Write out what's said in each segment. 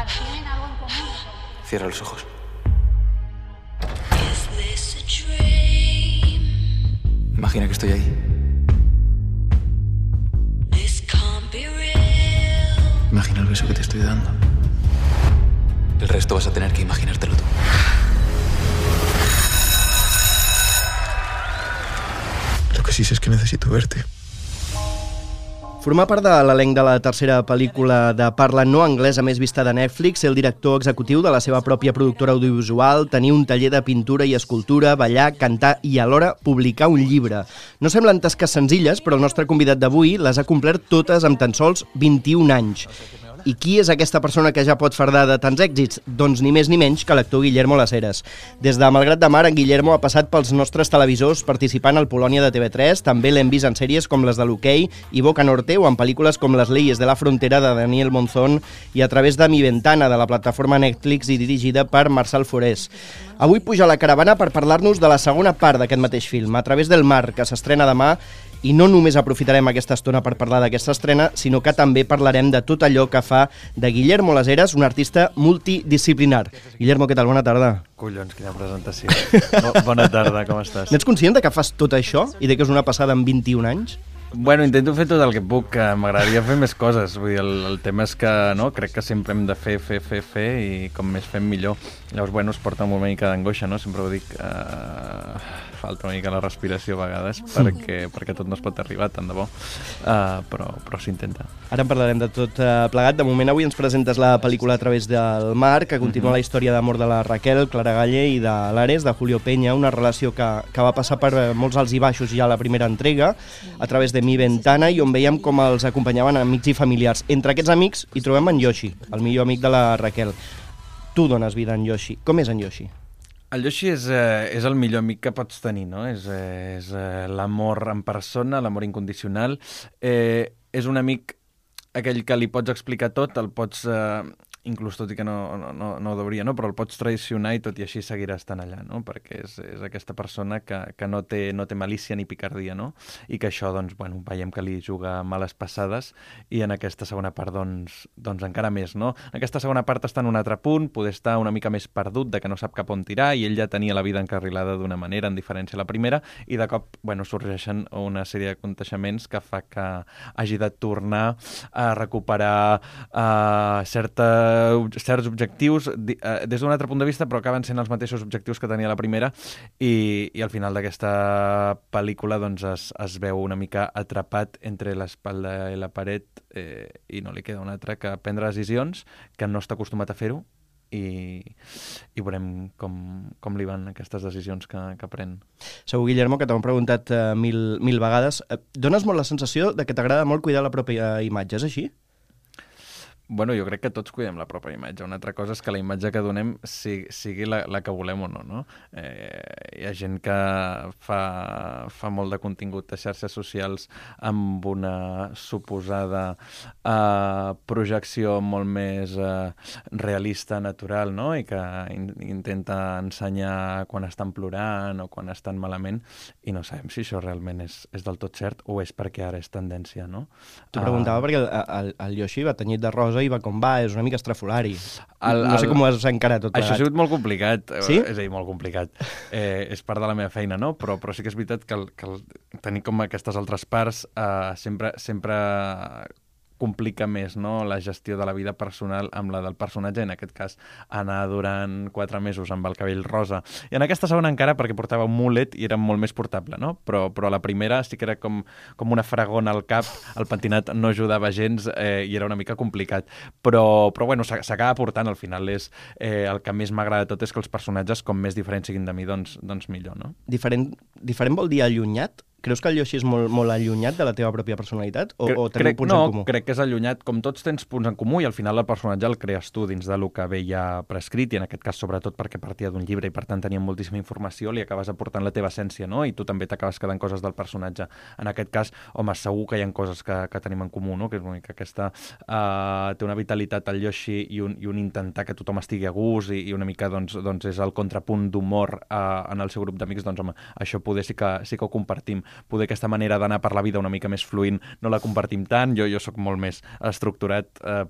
¿Tienen algo en común? Cierra los ojos. Imagina que estoy ahí. Imagina el beso que te estoy dando. El resto vas a tener que imaginártelo tú. Lo que sí sé es que necesito verte. Formar part de l'elenc de la tercera pel·lícula de parla no anglesa més vista de Netflix, ser el director executiu de la seva pròpia productora audiovisual, tenir un taller de pintura i escultura, ballar, cantar i alhora publicar un llibre. No semblen tasques senzilles, però el nostre convidat d'avui les ha complert totes amb tan sols 21 anys. I qui és aquesta persona que ja pot fardar de tants èxits? Doncs ni més ni menys que l'actor Guillermo Las Heras. Des de Malgrat de Mar, en Guillermo ha passat pels nostres televisors participant al Polònia de TV3, també l'hem vist en sèries com les de l'Hoquei i Boca Norte o en pel·lícules com Les leyes de la frontera de Daniel Monzón i a través de Mi Ventana, de la plataforma Netflix i dirigida per Marçal Forés. Avui puja a la caravana per parlar-nos de la segona part d'aquest mateix film, A través del mar, que s'estrena demà. I no només aprofitarem aquesta estona per parlar d'aquesta estrena, sinó que també parlarem de tot allò que fa de Guillermo Las Heras un artista multidisciplinar. Guillermo, què tal? Bona tarda. Collons, quina presentació. Bona tarda, com estàs? N'ets conscient de que fas tot això i de que és una passada en 21 anys? Bueno, intento fer tot el que puc, que m'agradaria fer més coses. Vull dir, el tema és que no, crec que sempre hem de fer i com més fem millor. Llavors, bueno, es porta una mica d'angoixa, no? Sempre ho dic, falta una mica la respiració a vegades perquè tot no es pot arribar tant de bo, però s'intenta. Ara en parlarem de tot plegat. De moment avui ens presentes la pel·lícula A través del mar, que continua la història d'amor de la Raquel, Clara Galle i de l'Ares, de Julio Peña, una relació que va passar per molts alts i baixos ja a la primera entrega, a través de Mi Ventana, i on veiem com els acompanyaven amics i familiars. Entre aquests amics hi trobem en Yoshi, el millor amic de la Raquel. Tu dones vida en Yoshi. Com és en Yoshi? El Yoshi és el millor amic que pots tenir, no? És l'amor en persona, l'amor incondicional. És un amic aquell que li pots explicar tot, el pots, inclús tot i que no ho deuria, no? Però el pots traicionar i tot i així seguirà estant allà, no? Perquè és aquesta persona que no té malícia ni picardia, no? I que això, doncs, bueno, veiem que li juga males passades i en aquesta segona part, doncs encara més, no? En aquesta segona part està en un altre punt, poder estar una mica més perdut, de que no sap cap on tirar, i ell ja tenia la vida encarrilada d'una manera, en diferència a la primera, i de cop, bueno, sorgeixen una sèrie d'aconteixements que fa que hagi de tornar a recuperar certs objectius des d'un altre punt de vista, però acaben sent els mateixos objectius que tenia la primera, i al final d'aquesta pel·lícula doncs es veu una mica atrapat entre l'espatlla i la paret, i no li queda una altra que prendre decisions, que no està acostumat a fer-ho, i veurem com li van aquestes decisions que pren. Segur, Guillermo, que t'ho hem preguntat mil vegades. Dones molt la sensació de que t'agrada molt cuidar la pròpia imatge, és així? Bueno, jo crec que tots cuidem la pròpia imatge. Una altra cosa és que la imatge que donem sigui la que volem o no, no? Hi ha gent que fa molt de contingut a xarxes socials amb una suposada projecció molt més realista, natural, no? I que intenta ensenyar quan estan plorant o quan estan malament, i no sabem si això realment és del tot cert o és perquè ara és tendència, no? T'ho preguntava perquè el Yoshi va tenyit de rosa i va com va, és una mica estrafolari. No sé com ho has encarat tot plegat. Això ha sigut molt complicat. Sí? És a dir, molt complicat. És part de la meva feina, no? Però sí que és veritat que tenir com aquestes altres parts sempre complica més, no?, la gestió de la vida personal amb la del personatge, en aquest cas anar durant 4 mesos amb el cabell rosa, i en aquesta segona encara perquè portava un mulet i era molt més portable, no? Però a la primera sí que era com una fragona al cap, el pentinat no ajudava gens i era una mica complicat, però bueno, s'acaba portant, al final és el que més m'agrada de tot és que els personatges, com més diferents siguin de mi, doncs millor, no? Diferent vol dir allunyat? Creus que el Yoshi és molt allunyat de la teva pròpia personalitat? O teniu punts en comú? No, crec que és allunyat. Com tots tens punts en comú i al final el personatge el crees tu dins del que ve ja prescrit, i en aquest cas sobretot perquè partia d'un llibre i per tant tenia moltíssima informació, li acabes aportant la teva essència, no? I tu també t'acabes quedant coses del personatge. En aquest cas, home, segur que hi ha coses que tenim en comú, no? Que és una mica aquesta... té una vitalitat al Yoshi i un intentar que tothom estigui a gust i una mica doncs és el contrapunt d'humor en el seu grup d'amics, doncs home, això poder sí que ho compartim. poder aquesta manera d'anar per la vida una mica més fluint no la compartim tant, jo sóc molt més estructurat,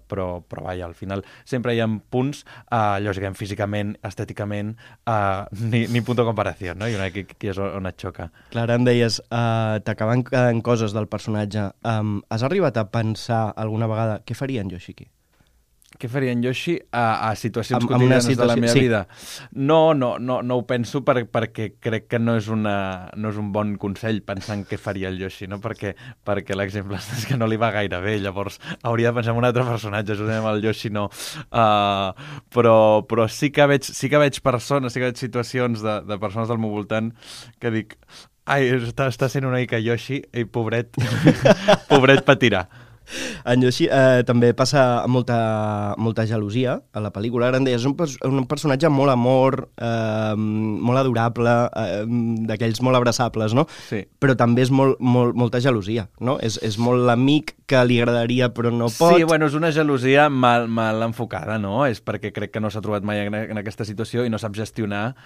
però vaja, al final sempre hi ha punts, lògicament, físicament, estèticament, ni punt de comparació, no? I aquí és on et xoca. Clar, em deies, t'acaben quedant coses del personatge. Has arribat a pensar alguna vegada què faria en Yoshiki? Què faria en Yoshi a situacions quotidianes de la meva vida? No ho penso perquè crec que no és un bon consell pensar en què faria el Yoshi, no? Perquè l'exemple és que no li va gaire bé, llavors hauria de pensar en un altre personatge, justament el Yoshi no. Però sí que veig persones, sí que veig situacions de persones del meu voltant que dic, ai, està sent una mica Yoshi, i pobret patirà. En Yoshi també passa molta gelosia a la pel·lícula. Ara em deies, és un personatge molt amor, molt adorable, d'aquells molt abraçables, no? Sí. Però també és molta gelosia, no? És molt l'amic que li agradaria però no pot. Sí, bueno, és una gelosia mal enfocada, no? És perquè crec que no s'ha trobat mai en aquesta situació i no sap gestionar,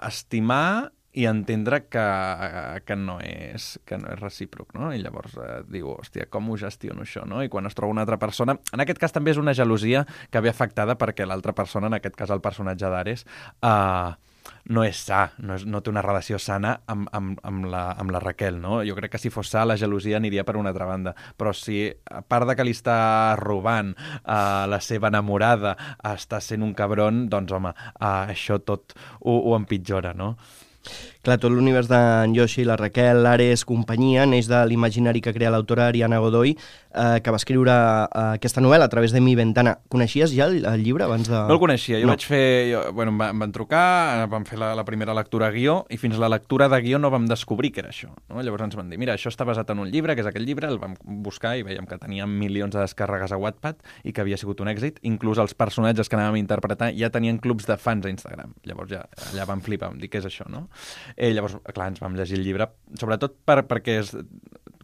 estimar i entendre que no és recíproc, no? I llavors diu, hòstia, com ho gestiono això, no? I quan es troba una altra persona... En aquest cas també és una gelosia que ve afectada perquè l'altra persona, en aquest cas el personatge d'Ares, no és sa, no té una relació sana amb la Raquel, no? Jo crec que si fos sa, la gelosia aniria per una altra banda. Però si, a part de que li està robant la seva enamorada, està sent un cabron, doncs, home, això tot ho empitjora, no? Clar, tot l'univers d'en Yoshi, la Raquel, l'Ares, companyia, neix de l'imaginari que crea l'autora Ariana Godoy, que va escriure aquesta novel·la a través de Mi Ventana. Coneixies ja el llibre abans de...? No el coneixia. Jo vaig fer... Bueno, em van trucar, vam fer la primera lectura a guió, i fins la lectura de guió no vam descobrir que era això, no? Llavors ens van dir, mira, això està basat en un llibre, que és aquell llibre, el vam buscar i veiem que tenia milions de descàrregues a Wattpad i que havia sigut un èxit. Inclús els personatges que anàvem a interpretar ja tenien clubs de fans a Instagram. Llavors ja allà vam flipar, vam dir, què és això, no? Llavors, clar, ens vam llegir el llibre, sobretot perquè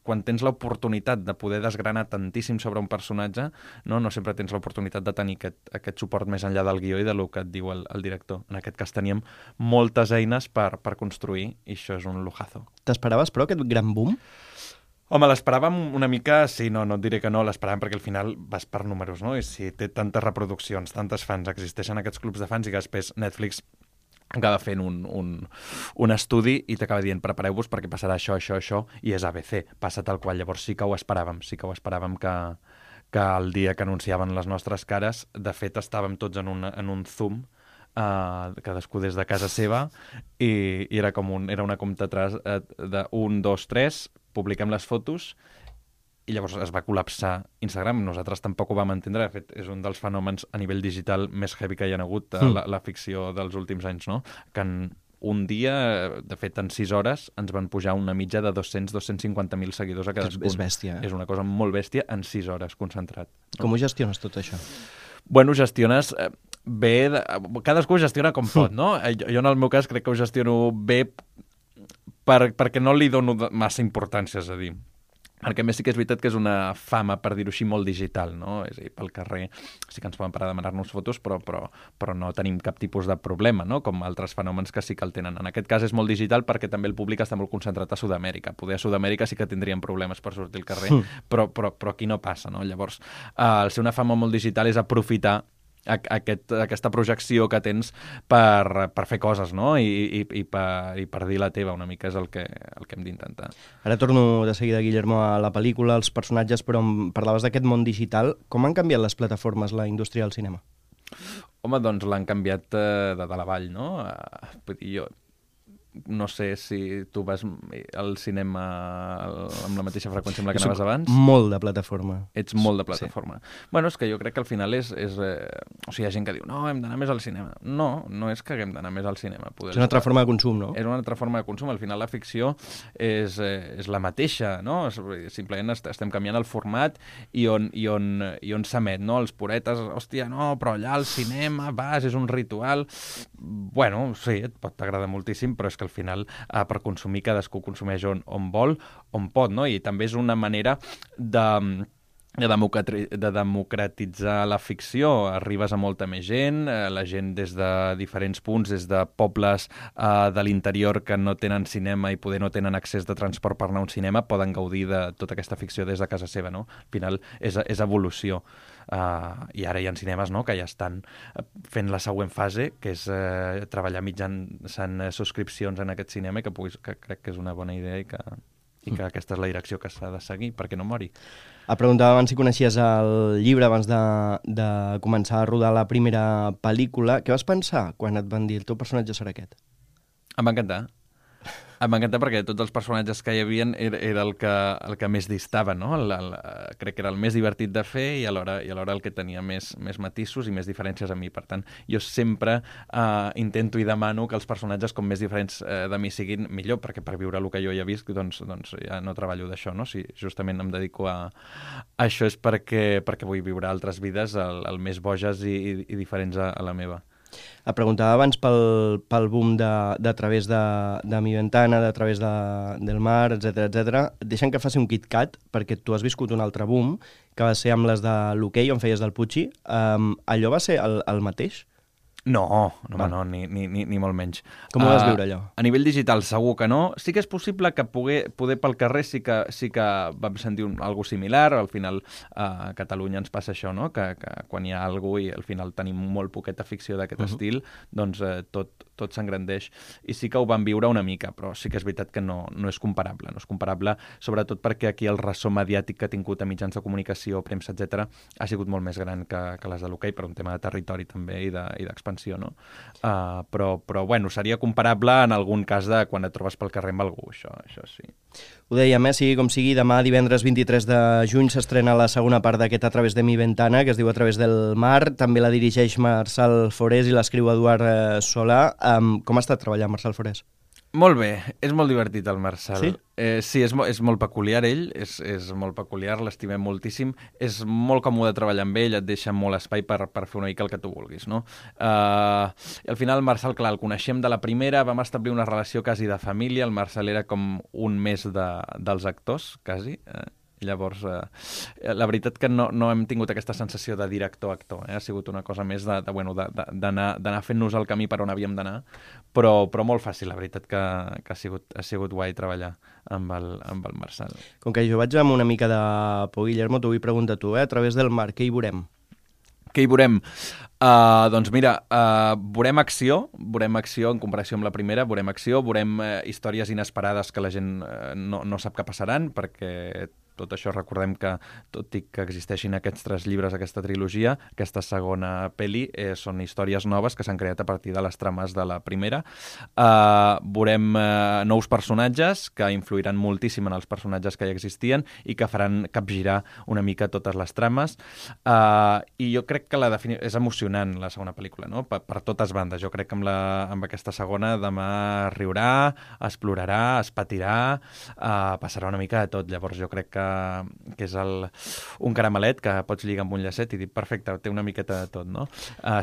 quan tens l'oportunitat de poder desgranar tantíssim sobre un personatge, no sempre tens l'oportunitat de tenir aquest suport més enllà del guió i del que et diu el director. En aquest cas teníem moltes eines per construir, i això és un lujazo. T'esperaves, però, aquest gran boom? Home, l'esperàvem una mica, sí, no et diré que no, l'esperàvem perquè al final vas per números, no? I si té tantes reproduccions, tantes fans, existeixen aquests clubs de fans i que després Netflix acaba fent un estudi i t'acaba dient, prepareu-vos perquè passarà això, i és ABC, passa tal qual. Llavors sí que ho esperàvem que el dia que anunciaven les nostres cares, de fet estàvem tots en un Zoom, cadascú des de casa seva, i era una compta atrás de 1, 2, 3, publiquem les fotos, i llavors es va col·lapsar Instagram. Nosaltres tampoc ho vam entendre. De fet, és un dels fenòmens a nivell digital més heavy que hi ha hagut a la ficció dels últims anys, no? Que en un dia, de fet, en 6 hores, ens van pujar una mitja de 200-250.000 seguidors a cadascun. És bèstia, És una cosa molt bèstia en 6 hores, concentrat. No? Com ho gestiones tot això? Bueno, gestiones bé... Cadascú ho gestiona com pot, no? Jo, en el meu cas, crec que ho gestiono bé perquè no li dono massa importància, és a dir, perquè a més sí que és veritat que és una fama, per dir-ho així, molt digital, no? És a dir, pel carrer sí que ens poden parar a demanar-nos fotos, però no tenim cap tipus de problema, no? Com altres fenòmens que sí que el tenen. En aquest cas és molt digital perquè també el públic està molt concentrat a Sud-amèrica. Poder a Sud-amèrica sí que tindríem problemes per sortir al carrer, però aquí no passa, no? Llavors, el ser una fama molt digital és aprofitar aquesta projecció que tens per fer coses, no? I per dir la teva una mica, és el que hem d'intentar. Ara torno de seguida, Guillermo, a la pel·lícula, als personatges, però em parlaves d'aquest món digital. Com han canviat les plataformes, la indústria del cinema? Home, doncs l'han canviat de dalt a avall, no? Vull dir, jo no sé si tu vas al cinema amb la mateixa freqüència amb la que anaves abans. Molt de plataforma. Ets molt de plataforma. Sí. Bueno, és que jo crec que al final o sigui, hi ha gent que diu, no, hem d'anar més al cinema. No és que haguem d'anar més al cinema. És una altra forma de consum, no? És una altra forma de consum. Al final la ficció és la mateixa, no? Simplement estem canviant el format i on s'emet, no? Els puretes, hòstia, no, però allà al cinema vas, és un ritual. Bueno, sí, et pot agradar moltíssim, però és que al final per consumir cadascú consumeix on vol, on pot, no? I també és una manera de democratitzar la ficció. Arribes a molta més gent, la gent des de diferents punts, des de pobles de l'interior que no tenen cinema i poder no tenen accés de transport per anar a un cinema, poden gaudir de tota aquesta ficció des de casa seva, no? Al final és evolució. I ara hi ha cinemes, no?, que ja estan fent la següent fase, que és treballar mitjançant subscripcions en aquest cinema, que crec que és una bona idea i que aquesta és la direcció que s'ha de seguir perquè no mori. Et preguntava abans si coneixies el llibre abans de començar a rodar la primera pel·lícula. Què vas pensar quan et van dir el teu personatge serà aquest? Em va encantar. Em va encantar perquè tots els personatges que hi havia era el que més distava, no? Crec que era el més divertit de fer i alhora el que tenia més matisos i més diferències a mi. Per tant, jo sempre intento i demano que els personatges com més diferents de mi siguin millor, perquè per viure el que jo ja he vist doncs ja no treballo d'això, no? Si justament em dedico a això és perquè vull viure altres vides el més boges i diferents a la meva. Et preguntava abans pel boom de través de Mi Ventana, de través del mar, etc. Deixa'm que faci un KitKat, perquè tu has viscut un altre boom, que va ser amb les de l'hoquei, on feies del Pucci. Allò va ser el mateix? No, ni molt menys. Com ho vas viure, allò? A nivell digital segur que no. Sí que és possible que poder pel carrer sí que vam sentir algo similar. Al final a Catalunya ens passa això, no?, que quan hi ha algú i al final tenim molt poqueta ficció d'aquest estil, doncs tot s'engrandeix. I sí que ho vam viure una mica, però sí que és veritat que no és comparable. No és comparable, sobretot perquè aquí el ressò mediàtic que ha tingut a mitjans de comunicació, premsa, etc., ha sigut molt més gran que les de l'hoquei, per un tema de territori també i d'expansió. No? Però bueno, seria comparable en algun cas de quan et trobes pel carrer amb algú, això sí. Ho dèiem, sigui com sigui, demà divendres 23 de juny s'estrena la segona part d'aquest A través de mi ventana, que es diu A través del mar, també la dirigeix Marçal Forés i l'escriu Eduard Solà. Com ha estat treballar amb Marçal Forés? Molt bé, és molt divertit el Marçal. Sí? Sí, és molt peculiar ell, és molt peculiar, l'estimem moltíssim, és molt còmode treballar amb ell, et deixa molt espai per fer una mica el que tu vulguis, no? I al final el Marçal, clar, el coneixem de la primera, vam establir una relació quasi de família, el Marçal era com un més dels actors, quasi, Llavors, la veritat que no hem tingut aquesta sensació de director-actor, ha sigut una cosa més d'anar fent-nos el camí per on havíem d'anar, però molt fàcil, la veritat que ha sigut guai treballar amb el Marçal. Com que jo vaig amb una mica de por, Guillermo, t'ho vull preguntar a tu, A través del mar, què hi veurem? Què hi veurem? Doncs mira, veurem acció en comparació amb la primera, veurem acció, veurem històries inesperades que la gent no sap que passaran, perquè tot això recordem que, tot i que existeixin aquests 3 llibres, aquesta trilogia, aquesta segona pel·li són històries noves que s'han creat a partir de les trames de la primera. Veurem nous personatges que influiran moltíssim en els personatges que ja existien i que faran capgirar una mica totes les trames. I jo crec que és emocionant la segona pel·lícula, no? Per totes bandes. Jo crec que amb aquesta segona demà riurà, explorarà, es patirà, passarà una mica de tot. Llavors jo crec que és un caramelet que pots lligar amb un llacet i dir, perfecte, té una miqueta de tot, no?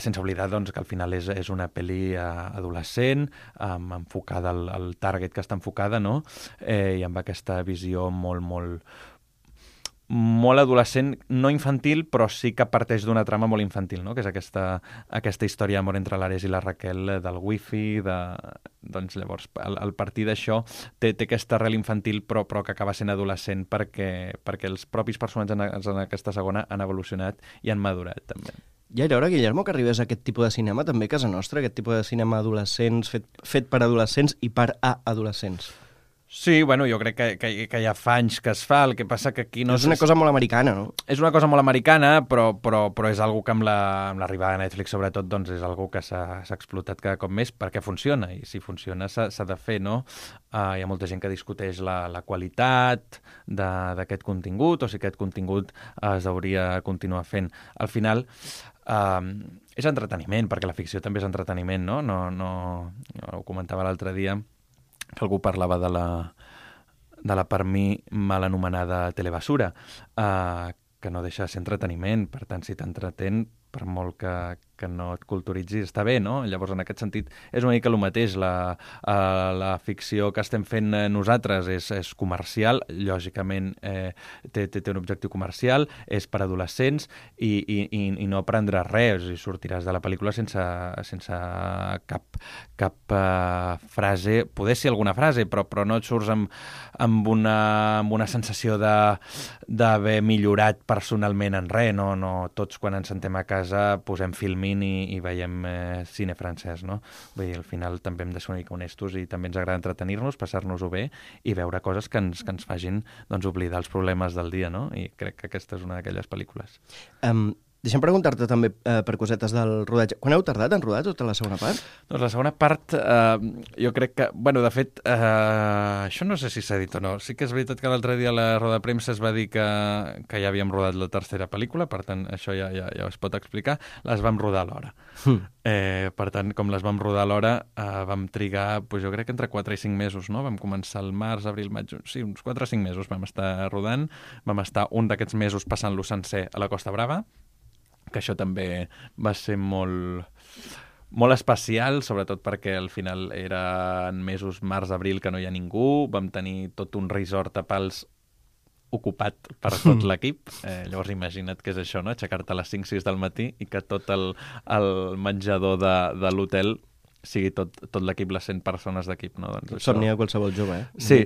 Sense oblidar, doncs, que al final és una pel·li adolescent, enfocada al target que està enfocada, no? I amb aquesta visió molt adolescent, no infantil, però sí que parteix d'una trama molt infantil, no? Que és aquesta història d'amor entre l'Ares i la Raquel, del wifi, doncs llavors, al partir d'això té aquesta arrel infantil, però que acaba sent adolescent perquè els propis personatges en aquesta segona han evolucionat i han madurat, també. Ja era hora, Guillermo, que arribés a aquest tipus de cinema, també a casa nostra, aquest tipus de cinema adolescents, fet per adolescents i per a adolescents. Sí, bueno, jo crec que ja fa anys que es fa, el que passa que aquí no... És una cosa molt americana, no? És una cosa molt americana, però és algo que amb l'arribada de Netflix, sobretot, doncs és algo que s'ha explotat cada cop més perquè funciona, i si funciona s'ha de fer, no? Hi ha molta gent que discuteix la qualitat d'aquest contingut, o si aquest contingut es hauria continuar fent. Al final... és entreteniment, perquè la ficció també és entreteniment, no? Ho comentava l'altre dia, que algú parlava de la per mi mal anomenada telebasura, que no deixa de ser entreteniment. Per tant, si t'entretén, per molt que no et culturitzi està bé, no? Llavors, en aquest sentit, és una mica el mateix. La ficció que estem fent nosaltres és comercial, lògicament té un objectiu comercial, és per adolescents i no aprendràs res, i sortiràs de la pel·lícula sense cap frase, poder ser alguna frase, però no et surts amb una sensació d'haver millorat personalment en res, no? Tots quan ens sentem a casa posem Filmin i veiem cine francès, no? Vull dir, al final també hem de ser una mica honestos i també ens agrada entretenir-nos, passar-nos-ho bé i veure coses que ens facin doncs, oblidar els problemes del dia, no? I crec que aquesta és una d'aquelles pel·lícules. Deixa'm preguntar-te també per cosetes del rodatge. Quan heu tardat en rodar tota la segona part? Doncs la segona part, jo crec que... Bueno, de fet, això no sé si s'ha dit o no. Sí que és veritat que l'altre dia a la roda de premsa es va dir que ja havíem rodat la tercera pel·lícula, per tant, això ja es pot explicar. Les vam rodar a l'hora. Per tant, com les vam rodar a l'hora, vam trigar, jo crec que entre 4 i 5 mesos, no? Vam començar el març, abril, maig... Sí, uns 4 o 5 mesos vam estar rodant. Vam estar un d'aquests mesos passant-lo sencer a la Costa Brava, que això també va ser molt especial, sobretot perquè al final eren mesos març-abril que no hi ha ningú, vam tenir tot un resort a Pals ocupat per tot l'equip. Llavors imagina't què és això, no? Aixecar-te a les 5-6 del matí i que tot el menjador de l'hotel sigui tot l'equip, les 100 persones d'equip, no? Doncs somni de qualsevol jove, Sí,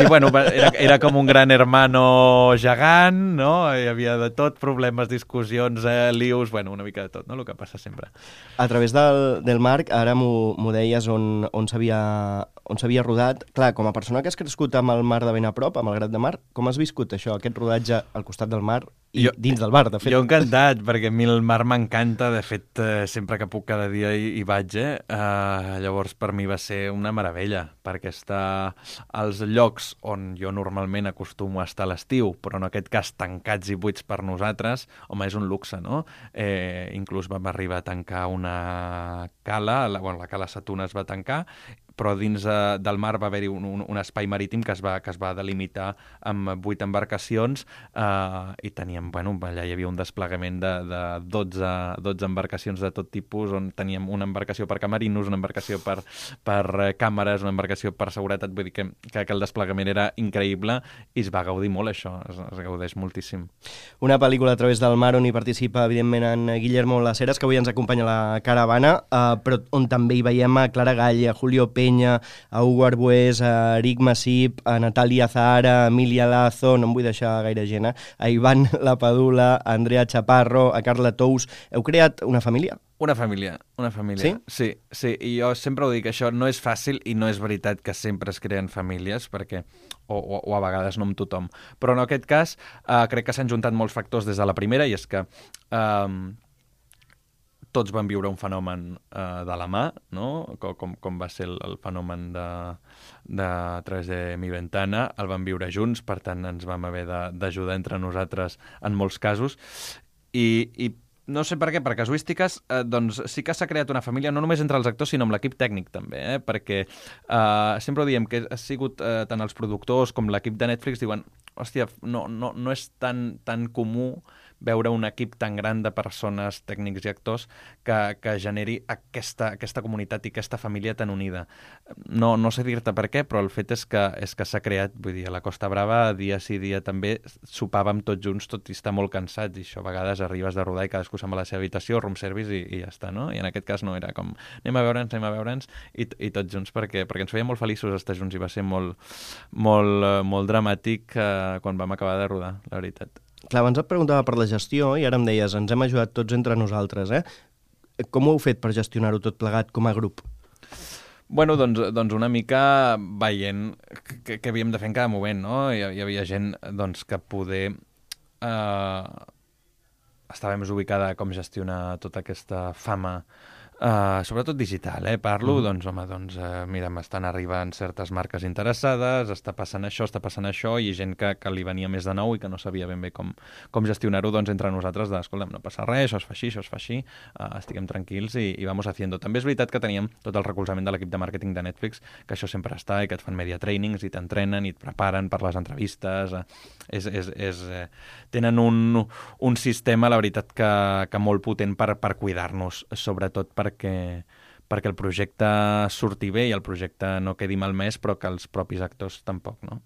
bueno, era com un gran hermano gegant, no? Hi havia de tot, problemes, discussions, lius, bueno, una mica de tot, no? El que passa sempre. A través del Marc, ara m'ho deies on s'havia rodat. Clar, com a persona que has crescut amb el mar de ben a prop, amb el Grat de Mar, com has viscut això, aquest rodatge al costat del mar i dins del bar, de fet? Jo encantat, perquè a mi el mar m'encanta, de fet, sempre que puc cada dia hi vaig, llavors per mi va ser una meravella, perquè estar als llocs on jo normalment acostumo a estar a l'estiu, però en aquest cas tancats i buits per nosaltres, home, és un luxe, no? Inclús vam arribar a tancar una cala, la cala Satuna es va tancar, però dins del mar va haver-hi un espai marítim que es va delimitar amb 8 embarcacions i teníem, allà hi havia un desplegament de 12 embarcacions de tot tipus, on teníem una embarcació per camerinos, una embarcació per càmeres, una embarcació per seguretat, vull dir que el desplegament era increïble i es va gaudir molt això, es gaudeix moltíssim. Una pel·lícula a través del mar on hi participa, evidentment, en Guillermo Las Heras, que avui ens acompanya a la caravana, però on també hi veiem a Clara Gall, a Julio Peña, a Hugo Arbués, a Eric Masip, a Natalia Zahara, a Emilia Lazo, no em vull deixar gaire gent, a Ivan Lapadula, a Andrea Chaparro, a Carla Tous. Heu creat una família? Una família. Sí? Sí, i jo sempre ho dic, això no és fàcil i no és veritat que sempre es creen famílies, perquè o a vegades no amb tothom. Però en aquest cas crec que s'han juntat molts factors des de la primera, i és que tots van viure un fenomen de la mà, no? Com va ser el fenomen de a través de Mi Ventana, el vam viure junts, per tant ens vam haver d'ajudar entre nosaltres en molts casos, i no sé per què, per casuístiques, doncs sí que s'ha creat una família, no només entre els actors, sinó amb l'equip tècnic també, perquè sempre ho diem, que ha sigut tant els productors com l'equip de Netflix, diuen, hòstia, no és tan comú veure un equip tan gran de persones, tècnics i actors que generi aquesta comunitat i aquesta família tan unida. No sé dir-te per què, però el fet és que s'ha creat, vull dir, a la Costa Brava, dia sí, dia també, sopàvem tots junts, tot i estar molt cansats, i això a vegades arribes de rodar i cadascú se'n va a la seva habitació, room service i ja està, no? I en aquest cas no, era com anem a veure'ns i tots junts, perquè ens feia molt feliços estar junts i va ser molt dramàtic quan vam acabar de rodar, la veritat. Clar, abans et preguntava per la gestió i ara em deies, ens hem ajudat tots entre nosaltres, Com ho heu fet per gestionar-ho tot plegat com a grup? Bueno, doncs una mica veient què havíem de fer en cada moment, no? Hi havia gent que poder estava més ubicada com gestionar tota aquesta fama Sobretot digital, parlo, mira, m'estan arribant certes marques interessades, està passant això, i gent que li venia més de nou i que no sabia ben bé com gestionar-ho, doncs entre nosaltres, escolta'm, no passa res, això es fa així, estiguem tranquils i vamos haciendo. També és veritat que teníem tot el recolzament de l'equip de màrqueting de Netflix, que això sempre està, i que et fan media trainings, i t'entrenen, i et preparen per les entrevistes, tenen un sistema, la veritat, que molt potent per cuidar-nos, sobretot perquè el projecte surti bé i el projecte no quedi malmès, però que els propis actors tampoc, no?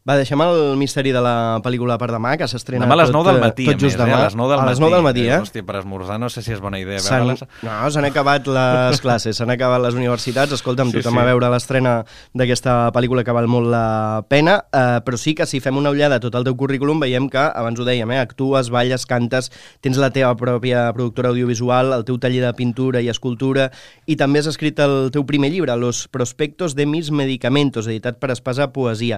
Va, deixem el misteri de la pel·lícula per demà, que s'estrena demà a les 9 del matí, tot just demà. A les 9 del matí. A les 9 del matí, Hòstia, per esmorzar no sé si és bona idea veure-les. No, s'han acabat les classes, s'han acabat les universitats. Escolta'm, tothom a veure l'estrena d'aquesta pel·lícula que val molt la pena, però sí que si fem una ullada a tot el teu currículum veiem que, abans ho dèiem, actues, balles, cantes, tens la teva pròpia productora audiovisual, el teu taller de pintura i escultura, i també has escrit el teu primer llibre, Los prospectos de mis medicamentos, editat per Espasa Poesia.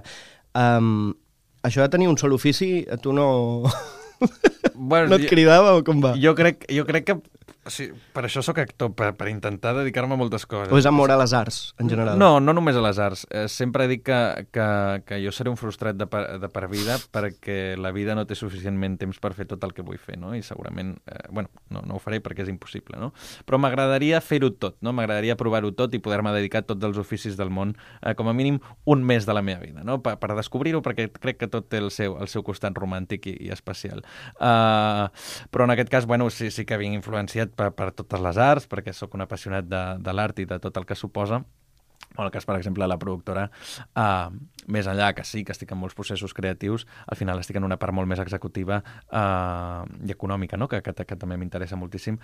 Això de tenir un sol ofici, a tu no... Bueno, no et cridava o com va? Jo crec que... Sí, per això sóc actor, per intentar dedicar-me a moltes coses. O és amor a les arts, en general? No només a les arts. Sempre dic que jo seré un frustrat de per vida perquè la vida no té suficientment temps per fer tot el que vull fer, no? I segurament, no ho faré perquè és impossible, no? Però m'agradaria fer-ho tot, no? M'agradaria provar-ho tot i poder-me dedicar a tots els oficis del món, com a mínim un mes de la meva vida, no? Per descobrir-ho, perquè crec que tot té el seu costat romàntic i especial. Però en aquest cas, sí que vinc influenciat per totes les arts, perquè sóc un apassionat de l'art i de tot el que suposa. En el cas, per exemple, de la productora, més enllà que sí, que estic en molts processos creatius, al final estic en una part molt més executiva i econòmica, no? que també m'interessa moltíssim,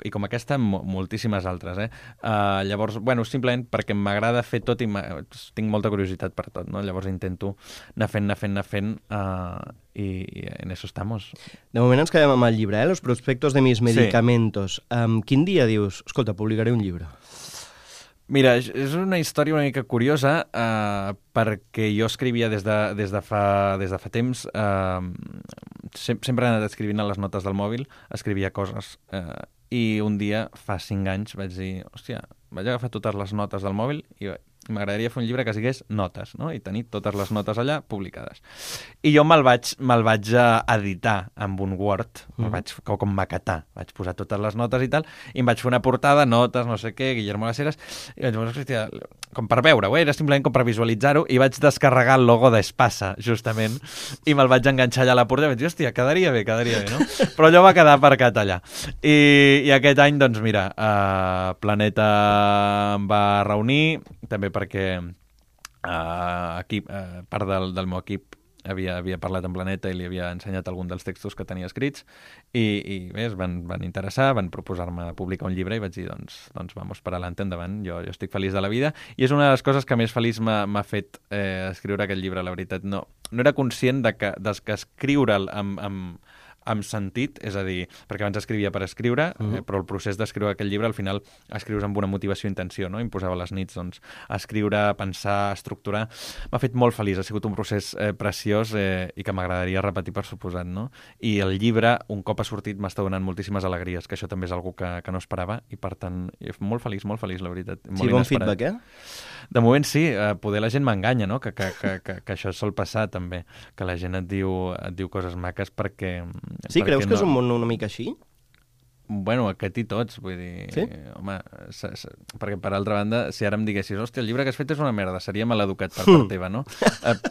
i com aquesta, moltíssimes altres. Llavors, simplement perquè m'agrada fer tot i tinc molta curiositat per tot, no? Llavors intento anar fent, i en eso estamos. De moment ens quedem amb el llibre, Los prospectos de mis medicamentos. Sí. Quin dia dius, escolta, publicaré un llibre? Mira, és una història una mica curiosa perquè jo escrivia des de fa temps, sempre he anat escrivint a les notes del mòbil, escrivia coses, i un dia, fa 5 anys, vaig dir, hòstia, vaig agafar totes les notes del mòbil i m'agradaria fer un llibre que sigués notes, no? I tenir totes les notes allà publicades. I jo me'l vaig editar amb un Word, me'l vaig com maquetar, vaig posar totes les notes i tal, i em vaig fer una portada, notes, no sé què, Guillermo Laceras, i vaig dir, hòstia, com per veure-ho, era simplement com per visualitzar-ho, i vaig descarregar el logo d'Espasa, justament, i me'l vaig enganxar allà a la portada, i vaig dir, hòstia, quedaria bé, no? Però allò va quedar aparcat allà. I aquest any, doncs mira, Planeta em va reunir, també perquè part del meu equip havia parlat amb Planeta i li havia ensenyat algun dels textos que tenia escrits i bé, es van interessar, van proposar-me publicar un llibre i vaig dir, doncs vamos per adelante, endavant, jo estic feliç de la vida i és una de les coses que més feliç m'ha fet escriure aquest llibre, la veritat. No era conscient de que escriure'l amb sentit, és a dir, perquè abans escrivia per escriure, però el procés d'escriure aquell llibre al final escrius amb una motivació i intenció, no? Em posava les nits a escriure, a pensar, a estructurar. M'ha fet molt feliç, ha sigut un procés preciós i que m'agradaria repetir per suposat, no? I el llibre, un cop ha sortit, m'està donant moltíssimes alegries, que això també és algo que no esperava i per tant, molt feliç, la veritat. Sí, bon feedback, De moment sí, poder la gent m'enganya, no? Que això sol passar també, que la gent et diu coses maques perquè... Sí, creus que és un món una mica així? Bueno, aquest i tots, vull dir... Sí? Home, perquè per altra banda, si ara em diguessis, hòstia, el llibre que has fet és una merda, seria maleducat per part teva, no?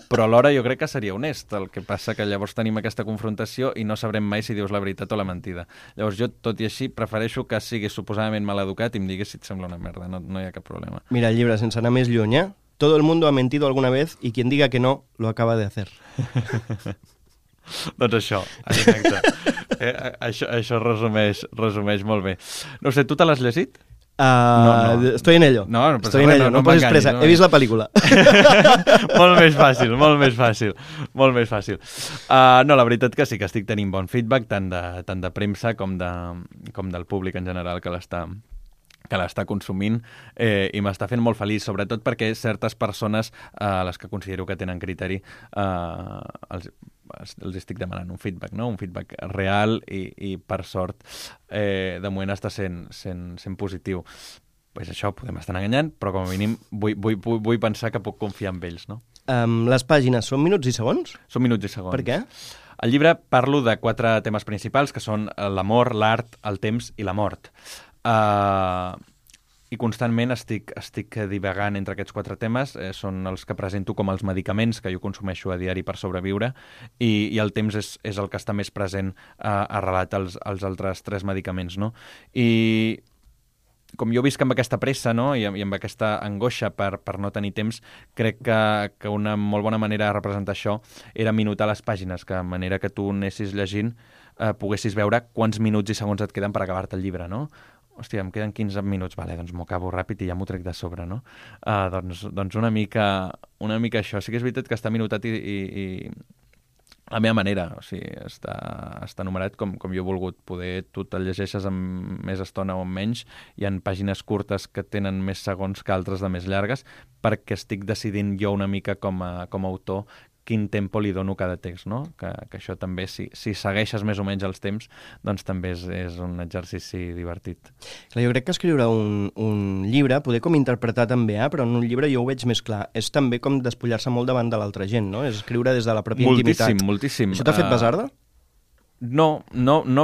Però alhora jo crec que seria honest, el que passa que llavors tenim aquesta confrontació i no sabrem mai si dius la veritat o la mentida. Llavors jo, tot i així, prefereixo que siguis suposadament maleducat i em diguis si et sembla una merda, no hi ha cap problema. Mira, el llibre, sense anar més lluny, Todo el mundo ha mentido alguna vez y quien diga que no, lo acaba de hacer. Doncs això, exacte. Això resumeix molt bé. No sé, tu te l'has llegit? No. Estoy en ello. Estoy en ello, no posis pressa. He vist la pel·lícula. Molt més fàcil. No, la veritat que sí, que estic tenint bon feedback, tant de premsa com del públic en general que l'està consumint i m'està fent molt feliç, sobretot perquè certes persones a les que considero que tenen criteri els estic demanant un feedback, no? Un feedback real i per sort de moment està sent positiu. Pues això, podem estar enganyant, però com a mínim vull pensar que puc confiar en ells, no? Les pàgines són minuts i segons? Són minuts i segons. Per què? Al llibre parlo de 4 temes principals, que són l'amor, l'art, el temps i la mort. I constantment estic divagant entre aquests 4 temes, són els que presento com els medicaments que jo consumeixo a diari per sobreviure, i el temps és el que està més present arrelat als altres 3 medicaments, no? I com jo visc amb aquesta pressa, no? I amb aquesta angoixa per no tenir temps, crec que una molt bona manera de representar això era minutar les pàgines, que de manera que tu anessis llegint poguessis veure quants minuts i segons et queden per acabar-te el llibre, no? Hòstia, em queden 15 minuts, vale, doncs m'ho acabo ràpid i ja m'ho trec de sobre, no? Doncs una mica això. Sí que és veritat que està minutat i la meva manera, o sigui, està numerat com jo he volgut. Poder tu te'l llegeixes amb més estona o amb menys, hi ha pàgines curtes que tenen més segons que altres de més llargues, perquè estic decidint jo una mica com a autor quin tempo li dono a cada text, no? Que això també, si segueixes més o menys els temps, doncs també és un exercici divertit. Clar, jo crec que escriure un llibre, poder com interpretar també, però en un llibre jo ho veig més clar. És també com despullar-se molt davant de l'altra gent, no? És escriure des de la pròpia intimitat. Moltíssim. Això t'ha fet basarda? No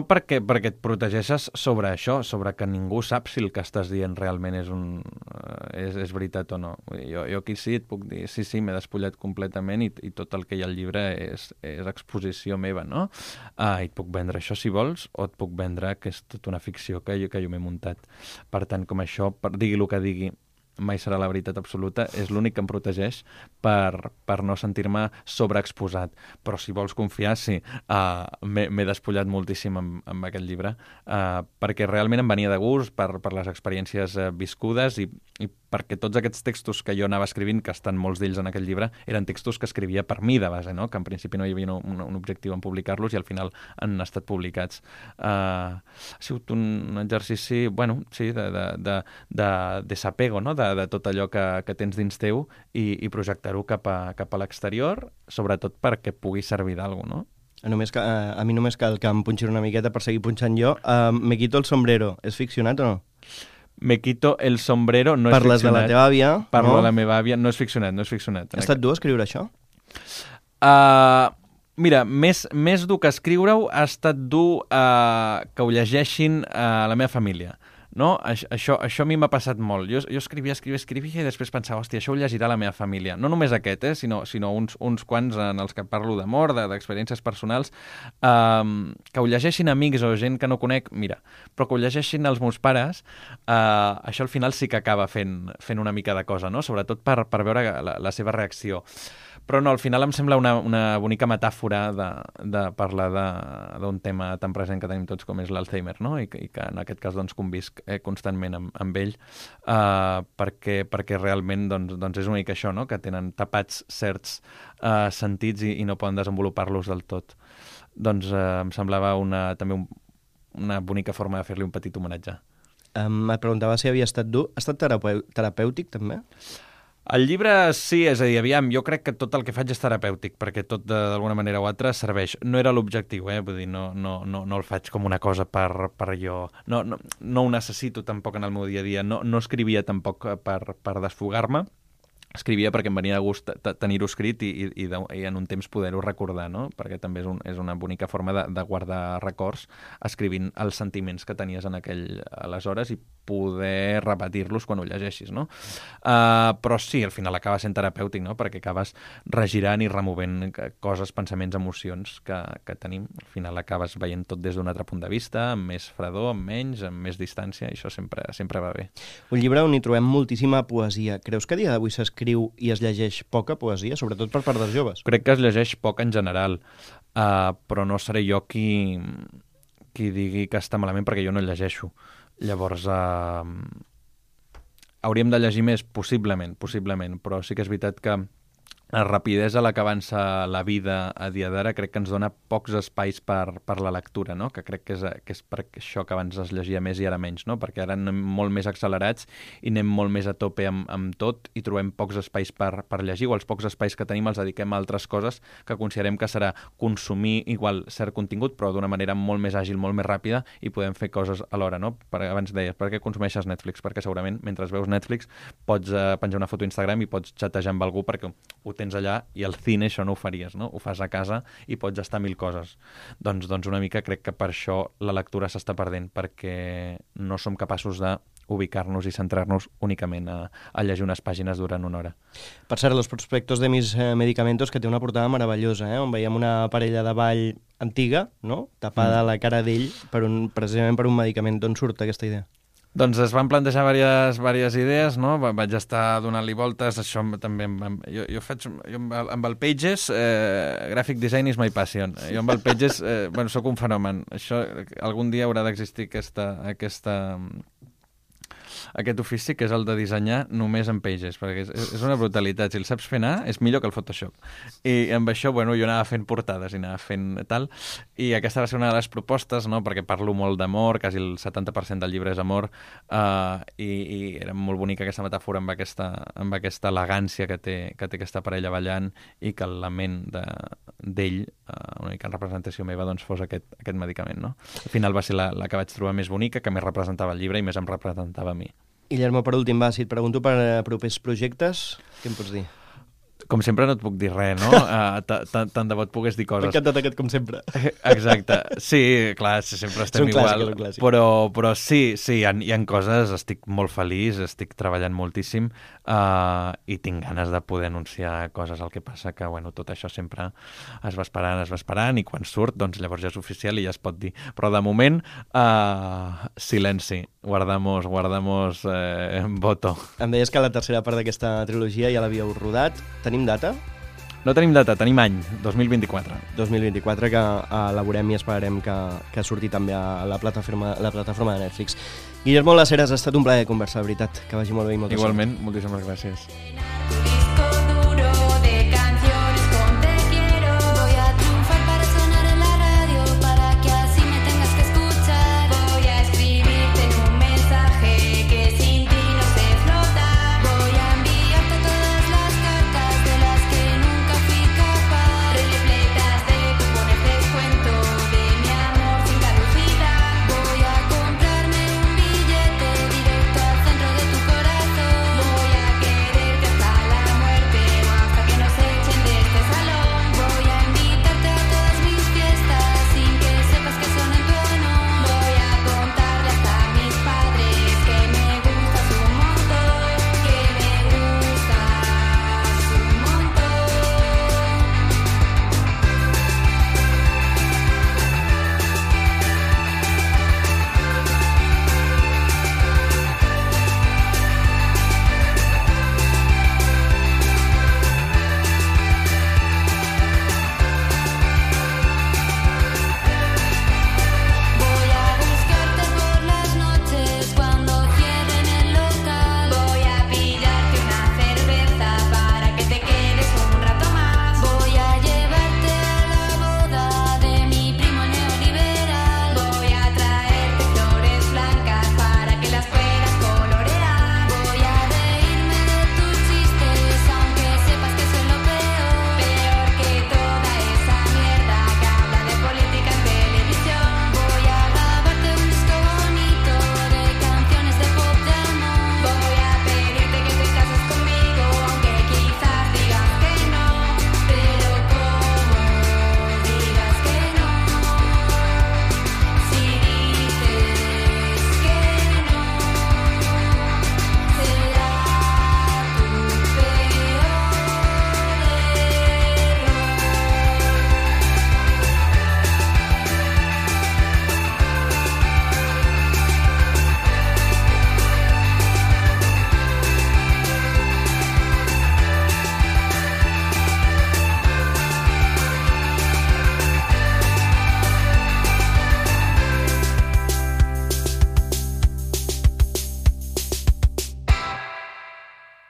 perquè et protegeixes sobre això, sobre que ningú sap si el que estàs dient realment és veritat o no. Jo aquí sí et puc dir, sí, m'he despullat completament i tot el que hi ha al llibre és exposició meva, no? I et puc vendre això si vols, o et puc vendre que és tota una ficció que jo m'he muntat. Per tant, com això, digui el que digui, mai serà la veritat absoluta, és l'únic que em protegeix per no sentir-me sobreexposat. Però si vols confiar, sí, m'he despullat moltíssim amb aquest llibre, perquè realment em venia de gust per les experiències viscudes i perquè tots aquests textos que jo anava escrivint, que estan molts d'ells en aquest llibre, eren textos que escrivia per mi de base, no? Que en principi no hi havia un objectiu en publicar-los i al final han estat publicats. Ha sigut un exercici, bueno, sí, de desapego, no? De tot allò que tens dins teu i projectar-ho cap a l'exterior, sobretot perquè pugui servir d'alguna cosa, no? A mi només cal que em punxin una miqueta per seguir punxant jo. Me quito el sombrero. És ficcionat o no? Me quito el sombrero, no és Parles ficcionat. De la teva àvia. Parlo de la meva àvia, no és ficcionat. Ha estat dur escriure això? Mira, més dur que escriure-ho ha estat dur que ho llegeixin a la meva família. No? Això a mi m'ha passat molt. Jo escrivia i després pensava, hòstia, això ho llegirà la meva família. No només aquest, sinó uns quants en els que parlo d'amor, d'experiències personals, que ho llegeixin amics o gent que no conec, mira, però que ho llegeixin els meus pares, això al final sí que acaba fent una mica de cosa, no? Sobretot per veure la seva reacció. Però no, al final em sembla una bonica metàfora de parlar d'un tema tan present que tenim tots com és l'Alzheimer, no? I que en aquest cas doncs, convisc constantment amb ell, perquè realment doncs és una mica això, no? Que tenen tapats certs sentits i no poden desenvolupar-los del tot. Doncs em semblava també una bonica forma de fer-li un petit homenatge. Et preguntava si havia estat dur. Ha estat terapèutic, també? El llibre sí, és a dir, aviam, jo crec que tot el que faig és terapèutic, perquè tot d'alguna manera o altra serveix. No era l'objectiu, vull dir, no el faig com una cosa per jo. No ho necessito tampoc en el meu dia a dia, no escrivia tampoc per desfogar-me, escrivia perquè em venia de gust tenir-ho escrit i en un temps poder-ho recordar, no? Perquè també és una bonica forma de guardar records escrivint els sentiments que tenies en aleshores i poder repetir-los quan ho llegeixis, no? Però sí, al final acaba sent terapèutic, no? Perquè acabes regirant i removent coses, pensaments, emocions que tenim. Al final acabes veient tot des d'un altre punt de vista, amb més fredor, amb menys, amb més distància, i això sempre va bé. Un llibre on hi trobem moltíssima poesia. Creus que a dia d'avui s'escriu i es llegeix poca poesia, sobretot per part dels joves? Crec que es llegeix poc en general, però no seré jo qui digui que està malament perquè jo no el llegeixo. Llavors, hauríem de llegir més, possiblement, però sí que és veritat que la rapidesa a la que avança la vida a dia d'ara crec que ens dona pocs espais per la lectura, no? Que crec que és per això que abans es llegia més i ara menys, no? Perquè ara anem molt més accelerats i anem molt més a tope amb tot i trobem pocs espais per llegir, o els pocs espais que tenim els dediquem a altres coses que considerem que serà consumir igual cert contingut, però d'una manera molt més àgil, molt més ràpida, i podem fer coses alhora, no? Abans deies, per què consumeixes Netflix? Perquè segurament mentre veus Netflix pots penjar una foto a Instagram i pots xatejar amb algú perquè ho tens allà, i al cine això no ho faries, no? Ho fas a casa i pots estar 1000 coses. Doncs una mica crec que per això la lectura s'està perdent, perquè no som capaços de ubicar-nos i centrar-nos únicament a llegir unes pàgines durant una hora. Per cert, Los prospectos de mis medicamentos, que té una portada meravellosa, on veiem una parella de ball antiga, no? Tapada a la cara d'ell precisament per un medicament. D'on surt aquesta idea? Doncs es van plantejar diverses idees, no? Vaig estar donant-li voltes, això també... Jo amb el Pages, graphic design is my passion. Jo amb el Pages, soc un fenomen. Això, algun dia haurà d'existir aquest ofici, que és el de dissenyar només en Pages, perquè és una brutalitat. Si el saps fer anar, és millor que el Photoshop. I amb això, jo anava fent portades i anava fent tal, i aquesta va ser una de les propostes, no? Perquè parlo molt d'amor, quasi el 70% del llibre és amor, i era molt bonica aquesta metàfora amb aquesta elegància que té aquesta parella ballant, i que la ment d'ell, una mica en representació meva, doncs fos aquest medicament, no? Al final va ser la que vaig trobar més bonica, que més representava el llibre i més em representava a mi. Guillermo, per últim, si et pregunto per propers projectes, què em pots dir? Com sempre no et puc dir res, no? Tant de bo et pogués dir coses. M'ha encantat aquest com sempre. Exacte. Sí, clar, sempre estem igual. Però sí, hi ha coses, estic molt feliç, estic treballant moltíssim, i tinc ganes de poder anunciar coses. El que passa que, tot això sempre es va esperant, i quan surt, doncs llavors ja és oficial i ja es pot dir. Però de moment, silenci. Guardamos voto. Em deies que la tercera part d'aquesta trilogia ja l'havíeu rodat. Tenim data? No tenim data, tenim any, 2024. 2024, que elaborem i esperarem que surti també a la plataforma de Netflix. Guillermo Las Heras, ha estat un plaer conversar, de veritat. Que vagi molt bé i molta sort. Igualment, moltíssimes gràcies.